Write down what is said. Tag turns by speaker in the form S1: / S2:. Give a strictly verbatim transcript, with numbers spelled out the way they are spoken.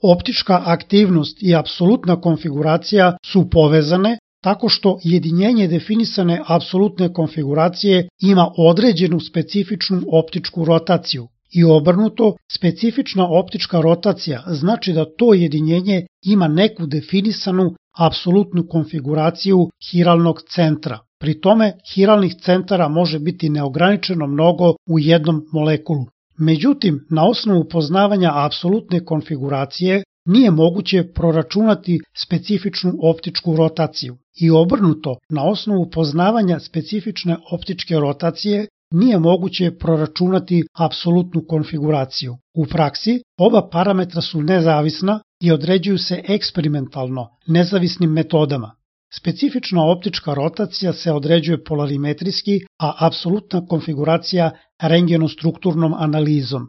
S1: Optička aktivnost i apsolutna konfiguracija su povezane tako što jedinjenje definisane apsolutne konfiguracije ima određenu specifičnu optičku rotaciju i obrnuto, specifična optička rotacija znači da to jedinjenje ima neku definisanu apsolutnu konfiguraciju hiralnog centra. Pri tome, hiralnih centara može biti neograničeno mnogo u jednom molekulu. Međutim, na osnovu poznavanja apsolutne konfiguracije nije moguće proračunati specifičnu optičku rotaciju i obrnuto, na osnovu poznavanja specifične optičke rotacije nije moguće proračunati apsolutnu konfiguraciju. U praksi, oba parametra su nezavisna i određuju se eksperimentalno, nezavisnim metodama. Specifična optička rotacija se određuje polarimetrijski, a apsolutna konfiguracija rengenostrukturnom analizom.